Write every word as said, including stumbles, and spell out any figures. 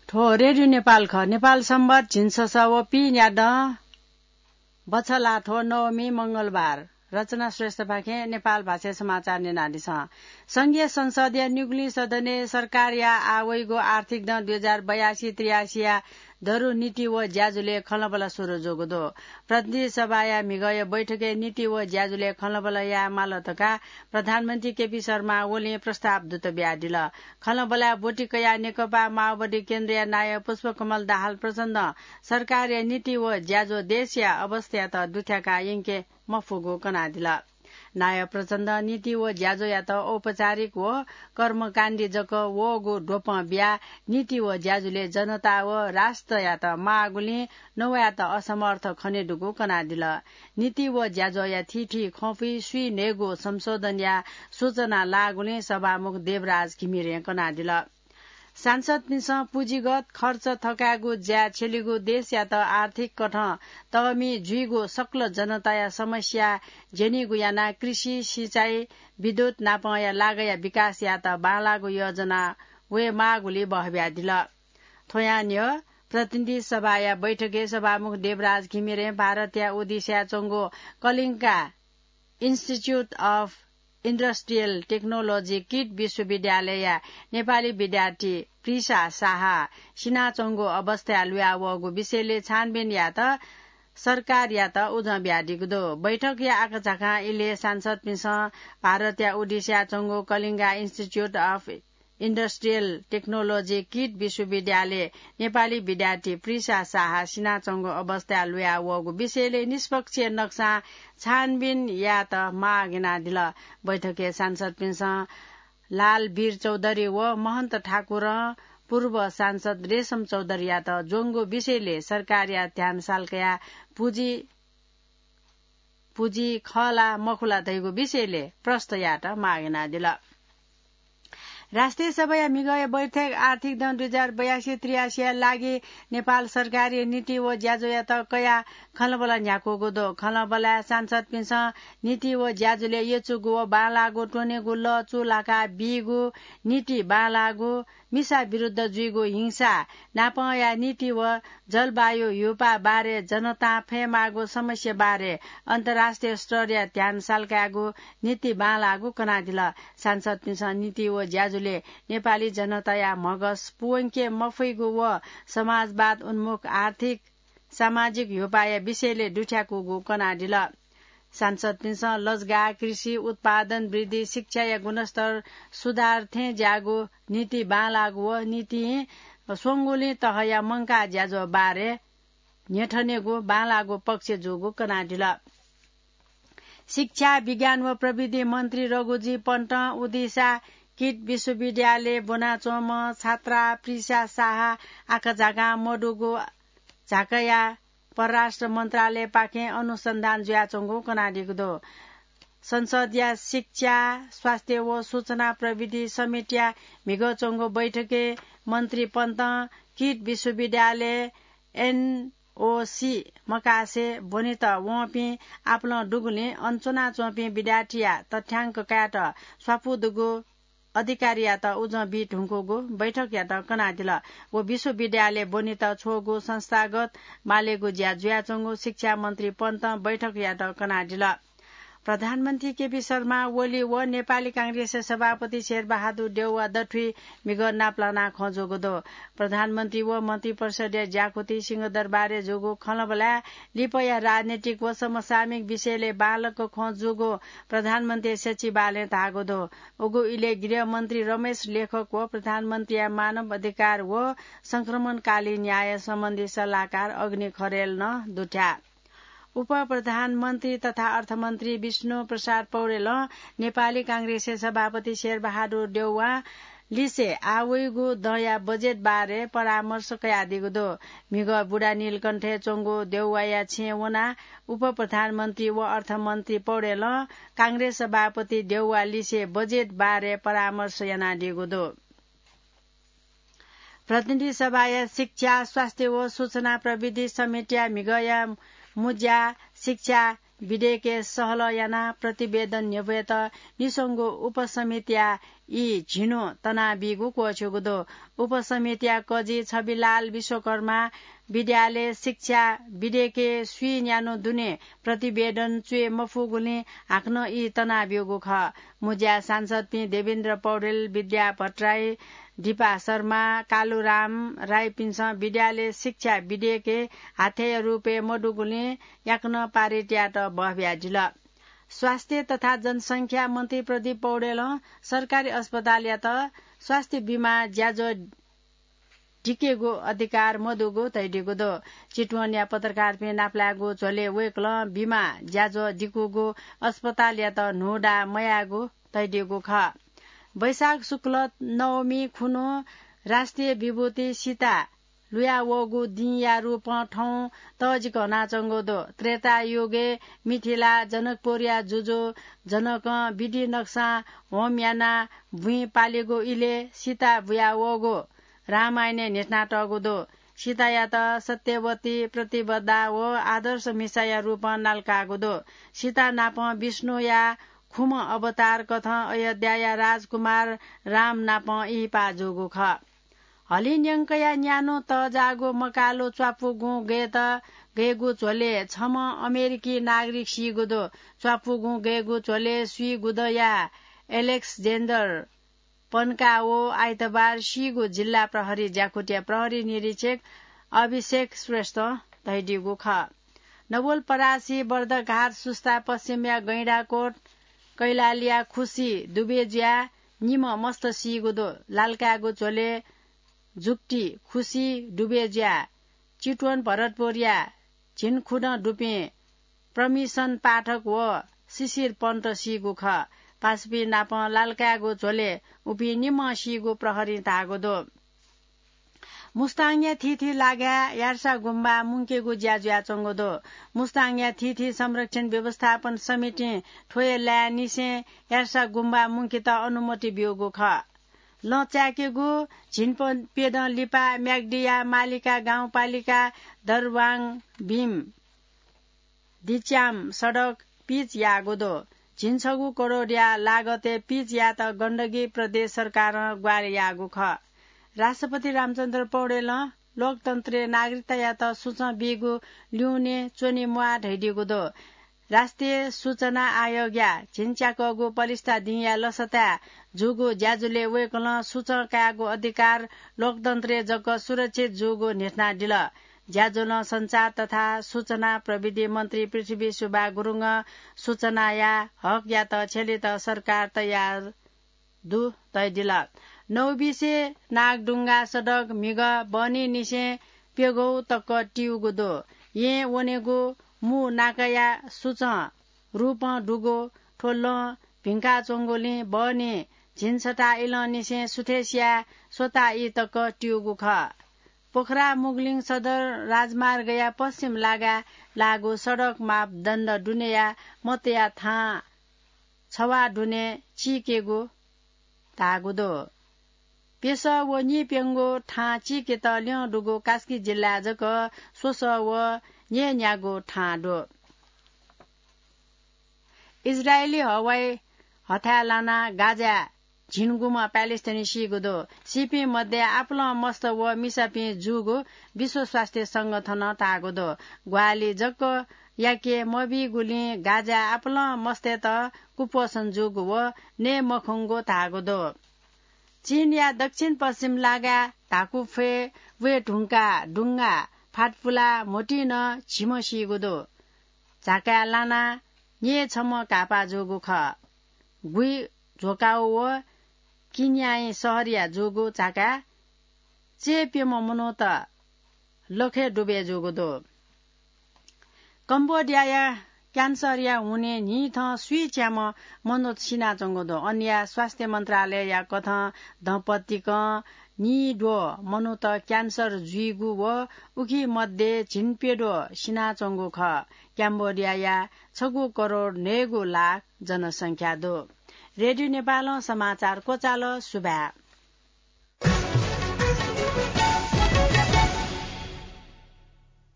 थ्व रेडियो नेपाल खः। नेपाल संवत झिंछसः व पीन्यादँ बछलाथ्व नवमी मंगलबार। रचना श्रेष्ठपाखें नेपाल भाषाय् समाचार न्यनादिसँ। संघीय संसदया निगुलिं सदनय् सरकारया आः वइगु आर्थिक दँ दुई हजार बयासी त्रियासीया दरु नीति व ज्याझ्वलय् खँल्हाबल्हा सुरु जूगु दु। प्रतिनिधि सभाया म्हिगःया बैठकय् नीति व ज्याझ्वलय् खँल्हाबल्हा याये माल धकाः प्रधानमन्त्री केपी शर्मा ओलीं प्रस्ताव दुत बियादिल। खँल्हाबल्हाय् ब्वति कयाः नेकपा माओवादी केन्द्रया नायः पुष्पकमल दाहाल प्रचण्डं सरकारया नीति व ज्याझ्वः देशया अवस्थायात दुथ्याकाः यंके मफुगु कनादिल। नायः प्रचण्डं नीति व ज्याझ्वःयात औपचारिक व कर्मकाण्डी जक वःगु द्वपं बियाः नीति व ज्याझ्वलय् जनता व राष्ट्रयात माःगुलिं नवायेत असमर्थ खनेदुगु कनादिल। नीति व ज्याझ्वःया थीथी खँपुइ स्वीन्हय्गू संशोधनया सूचना लाःगुलिं सभामुख देवराज घिमिरें कनादिल। सांसदपिन्सं पुँजीगत खर्च थकायेगु ज्याय् छ्यलीगु देशयात आर्थिक कथं तःमि जुइगु सकल जनताया समस्या ज्यनीगु यानाः कृषि, सिँचाइ, विद्युत नापंया लागया विकास यायेत बांलाःगु योजना वयेमाःगुलि बहबियादिल। थ्वयां न्ह्यः प्रतिनिधि सभाया बैठकय् सभामुख देवराज घिमिरें भारतया ओडिसाय् च्वंगु कलिङ्गा Institute of Industrial Technology kit विश्वविद्यालयया नेपाली विद्यार्थी प्रिसा साहा सिनाच्वंगु अवस्थाय् लुया वःगु विषयलय् छानबिन यायेत सरकारयात उजं बियादीगु दु। बैठकया आकाझाकां इलय् सांसदपिन्सं भारतया ओडिसाय् च्वंगु कलिङ्गा Institute of Industrial Technology kit विश्वविद्यालय नेपाली विद्यार्थी प्रिसा साहा सिनाच्वंगु अवस्थाय् लुया वःगु विषयलय् निष्पक्ष नक्सां छानबिन यायेत माग यानादिल। बैठकय् सांसदपिन्सं लालवीर चौधरी व महन्त ठाकुरं पूर्व सांसद रेशम चौधरीयात ज्वंगु विषयलय् सरकारया ध्यान सालकया पुँजी पुँजी खः ला मखु ला धइगु विषयलय् प्रश्न यायेत माग यानादिल। राष्ट्रिय सभाया म्हिगःया बैठक आर्थिक दँ दुई हजार बयासी त्रियासीया लागि नेपाल सरकारया नीति व ज्याझ्वःयात कयाः खँल्हाबल्हा न्ह्याकूगु दु। खँल्हाबल्हाय् सांसदपिन्सं नीति व ज्याझ्वलय् यचुगु व बांलाःगु त्वनेगु लः चूलाका बीगु, नीति बांलाःगु, मिसा विरुद्ध जुइगु हिंसा, नापंया नीति व जलवायु ह्यूपाः बारे जनतां फयेमाःगु समस्या बारे अन्तर्राष्ट्रिय स्तरया ध्यान सालकायेगु नीति बांलाःगु कनादिल। सांसदपिन्सं नीति व ज्याझ्वलय् नेपाली जनताया म्हगस पुवंके मफइगु व समाजवाद उन्मुख आर्थिक सामाजिक ह्यूपाःया विषयलय् दुथ्याकूगु कनादिल। सांसदपिन्सं लजगाः, कृषि उत्पादन वृद्धि, शिक्षाया गुणस्तर सुधार थें ज्याःगु नीति बांलाःगु व नीतिं स्वंगुलिं तहया मंकाः ज्याझ्वः बारे न्ह्यथनेगु बांलाःगु पक्ष जूगु कनादिल। शिक्षा, विज्ञान व प्रविधि मन्त्री रघुजी पन्तं उदिसा किट विश्वविद्यालय ब्वनाच्वंम्ह छात्रा प्रिसा साहा आकाझाकां मदुगु झाँक्रीया परराष्ट्र मन्त्रालयपाखें अनुसन्धान जुयाच्वंगु कनादीगु दु। संसदया शिक्षा, स्वास्थ्य व सूचना प्रविधि समितिया म्हिगः च्वंगु बैठकय् मन्त्री पन्तं किट विश्वविद्यालय एनओसी मकासे ब्वनेत वंपिं आपालं दुगुलिं अन च्वनाच्वंपिं विद्यार्थीया तथ्याङ्क कायेत स्वापू दुगु अधिकारीयात उजं बी धुंकूगु बैठकयात कनादिल। व विश्वविद्यालय ब्वनेत छ्वःगु संस्थागत मालेगु ज्या जुयाच्वंगु शिक्षा मन्त्री पन्तं बैठकयात कनादिल। प्रधानमन्त्री केपी शर्मा ओली व नेपाली कांग्रेसया सभापति शेरबहादुर देउवा दथुइ म्हिगः नापलानाः खँ जूगु दु। प्रधानमन्त्री व मन्त्रिपरिषदया ज्याकुथि सिंहदरबारय् जूगु खँल्हाबल्हाय् लिपाया राजनीतिक व समसामयिक विषयलय् बांलाक खँ जूगु प्रधानमन्त्री सचिवालयं धाःगु दु। उगु इलय् गृहमन्त्री रमेश लेखक व प्रधानमन्त्रीया मानव अधिकार व संक्रमणकालीन न्याय सम्बन्धी सल्लाहकार अग्नि खरेल नं दुथ्याः। उपप्रधानमन्त्री तथा अर्थमन्त्री विष्णु प्रसाद पौडेलं नेपाली कांग्रेसया सभापति शेरबहादुर देउवां लिसे आः वइगु दँया बजेट बारे परामर्श कयादीगु दु। म्हिगः बुढानीलकण्ठय् च्वंगु देउवाया छेँय् वनाः उपप्रधानमन्त्री व अर्थमन्त्री पौडेलं कांग्रेस सभापति देउवा लिसे बजेट बारे परामर्श यानादीगु दु। प्रतिनिधि सभाया शिक्षा, स्वास्थ्य व सूचना प्रविधि समितिया म्हिगःया मुँज्या शिक्षा विधेयकय् सहलह यानाः प्रतिवेदन न्ह्यब्वयेत निस्वंगु उपसमितिया ई झिन्हु तनाबीगु क्वःछ्यूगु दु। उपसमितिया कजि छविलाल विश्वकर्मा विद्यालय शिक्षा विधेयकय् स्वीन्यान्हु दुने प्रतिवेदन च्वये मफुगुलिं हाकनं ई तनाब्यूगु खः। मुज्या सांसदपिं देवेन्द्र पौडेल, विद्या भट्टराई, दिपा शर्मा, कालुराम राईपिन्सं विद्यालय शिक्षा विधेयकय् हाथ्याया रूपय् मदुगुलिं याकनं पारित यायेत बहब्यादिल। स्वास्थ्य तथा जनसंख्या मन्त्री प्रदीप पौडेलं सरकारी अस्पतालयात स्वास्थ्य बिमा ज्याझ्वः दिकेगु अधिकार मदुगु धयादीगु दु। चितवनया पत्रकारपिं नापलायेगु झ्वलय् वय्कलं बिमा ज्याझ्वः दिकूगु अस्पतालयात न्हूदा मयायेगु धयादीगु खः। वैशाख शुक्ल नवमी खुन्हु राष्ट्रिय विभूति सीता लुयावःगु दिंया रूपं थौं तःजिक हनाच्वंगु दु। त्रेतायुगय् मिथिला जनकपुरया जुजु जनकं विधि नक्सां होम यानाः बुँइ पालेगु इलय् सीता बुयावःगु रामायणय् न्ह्यथनातःगु दु। सीतायात सत्यवती, प्रतिवद्धा व आदर्श मिसाया रूपं नालाकाःगु दु। सीता नाप विष्णुया खुम्ह अवतार कथं अयोध्याया राजकुमार राम नाप इहिपा जूगु खः। हलिं न्यंकया न्यान्हु तःजाःगु मकालु च्वापुगुं गयेत गयेगु झ्वलय् छम्ह अमेरिकी नागरिक सीगु दु। च्वापुगुं गयेगु झ्वलय् स्वीगुदँया एलेक्जेन्डर पन्काओ आइतबार सीगु जिल्ला प्रहरी ज्याकुथिया प्रहरी निरीक्षक अभिषेक श्रेष्ठं धयादीगु खः। नवलपरासी, बर्दघाट, सुस्ता, पश्चिमया गैंडाकोट, कैलालीया खुसी डुबे जुयाः निम्ह मस्त सीगु दु। लालकाय्गु झ्वलय् जुक्ति खुसी डुबे जुयाः चितवन भरतपुरया झिंखुदँ दुपिं प्रमिशन पाठक व शिशिर पन्त सीगु खः। पासापिं नाप लालकाय्गु झ्वलय् उपिं निम्ह सीगु प्रहरीं धाःगु दु। मुस्ताङया थीथी लागाय् यार्सा गुम्बा मुंकेगु ज्या जुयाच्वंगु दु। मुस्ताङया थीथी संरक्षण व्यवस्थापन समितिं थ्व हे लाय् निसें यार्सा गुम्बा मुंकेत अनुमति ब्यूगु खः। लँ चाय्केगु झिंप्यदँ लिपा म्याग्दीया मालिका गाउँपालिका दरवाङ भीम दिच्याम सडक पिच याःगु दु। झिंछगू करोडया लागतय् पिच यायेत गण्डकी प्रदेश सरकारं ग्वाहालि याःगु खः। राष्ट्रपति रामचन्द्र पौडेलं लोकतन्त्रय् नागरिकतायात सुचं बीगु ल्यूने च्वने म्वाः धयादीगु दु। राष्ट्रिय सूचना आयोगया झिंच्याकःगु पलिस्था दिंया लसताय् जूगु ज्याझ्वलय् वय्कलं सुचं कायेगु अधिकार लोकतन्त्रय् जक सुरक्षित जूगु न्ह्यथनादिल। ज्याझ्वलं सञ्चार तथा सूचना प्रविधि मन्त्री पृथ्वी सुब्बा गुरुङं सूचनाया हकयात छ्यलेत सरकार तयार दु धयादिल। नौबिसे नागढुङ्गा सडक म्हिगः बहनीनिसें प्यघौ तक तिउगु दु। येँ वनेगु मू नाकाया सुचं रूपं दुगु थ्व लँ भिंकाच्वंगुलिं बहनी झिंछता इलंनिसें सुथय्सिया स्वता ई तक तिउगु खः। पोखरा मुगलिङ सदर राजमार्गया पश्चिम लागाय् लाःगु सडक मापदण्ड दुनेया मतया थां छवाः दुने चीकेगु धाःगु दु। प्यसः व नीप्यंगू थां चीकेत ल्यं दुगु कास्की जिल्लाय् जक स्वसः व न्यय्न्यागू थां दु। इजरायली हवाई हथाय् लानाः गाजाय् झिंगुम्ह प्यालेस्टाइनी सीगु दु। सीपिं मध्ये आपालं मस्त व मिसापिं जूगु विश्व स्वास्थ्य संगठनं धाःगु दु। ग्वाहालि जक याके मबीगुलिं गाजाय् आपालं मस्तय्त कुपोषण जूगु व नये मखंगु धाःगु दु। चीनया दक्षिण पश्चिम लागाय् धाकुफ्वय् वये धुंकाः दुंगा फातपुलाः म्होतिं नं झिम्ह सीगु दु। झाकाय् लानाः न्यय् छम्ह घाःपाः जूगु खः। गुइझोकाओ व किन्याइँ शहरया जूगु झाकाय् चय्प्यम्ह मनूत लखय् दुबय् जूगु दु। कम्बोडियाया क्यान्सरया हुनिं न्हिथं स्वीच्याम्ह मनूत सिनाच्वंगु दु। अनया स्वास्थ्य मन्त्रालयया कथं दँपतिकं निद्वः मनूत क्यान्सर जुइगु व उखि मध्ये झिंप्यद्वः सिनाच्वंगु खः। क्याम्बोडियाया छगू करोड न्हय्गू लाख जनसंख्या दु। रेडियो नेपालं समाचार क्वचाल। सुभाय्।